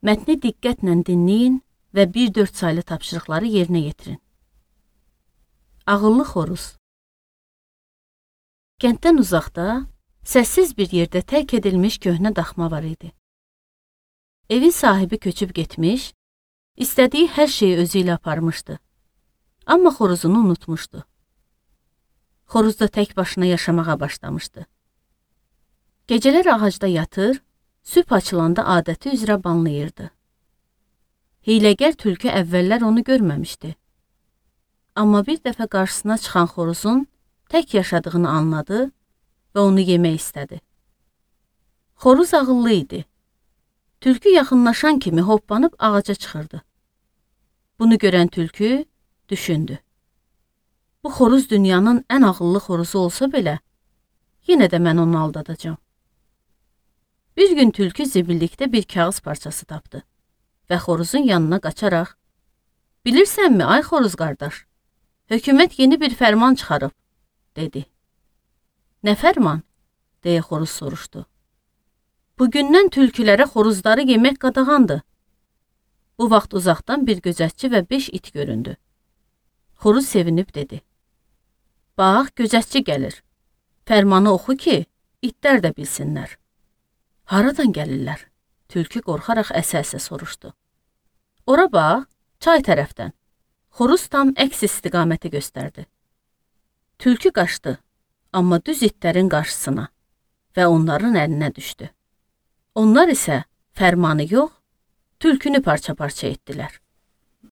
Mətni diqqətlə dinləyin və 1-4 saylı tapşırıqları yerinə yetirin. Ağıllı xoruz. Kənddən uzaqda, səssiz bir yerdə tərk edilmiş köhnə daxma var idi. Evin sahibi köçüb getmiş, istədiyi hər şeyi özü ilə aparmışdı. Amma xoruzunu unutmuşdu. Xoruz da tək başına yaşamağa başlamışdı. Gecələr ağacda yatır, sübh açılanda adəti üzrə banlayırdı. Hiyləgər tülkü əvvəllər onu görməmişdi. Amma bir dəfə qarşısına çıxan xoruzun tək yaşadığını anladı və onu yemək istədi. Xoruz ağıllı idi. Tülkü yaxınlaşan kimi hoppanıb ağaca çıxırdı. Bunu görən tülkü düşündü. Bu xoruz dünyanın ən ağıllı xoruzu olsa belə, yenə də mən onu aldadacağam. Bir gün tülkü zibillikdə bir kağız parçası tapdı və xoruzun yanına qaçaraq, "Bilirsənmi, ay xoruz qardaş, hökumət yeni bir fərman çıxarıb," dedi. "Nə fərman?" deyə xoruz soruşdu. "Bugündən tülkülərə xoruzları yemək qadağandır." Bu vaxt uzaqdan bir gözətçi və 5 it göründü. Xoruz sevinib dedi. "Bax, gözətçi gəlir. Fərmanı oxu ki, itlər də bilsinlər." "Haradan gəlirlər?" Tülkü qorxaraq əsə-əsə soruşdu. "Ora bax, çay tərəfdən." Xoruz tam əks istiqaməti göstərdi. Tülkü qaçdı, amma düz itlərin qarşısına və onların əlinə düşdü. Onlar isə fərmanı yox, tülkünü parça-parça etdilər.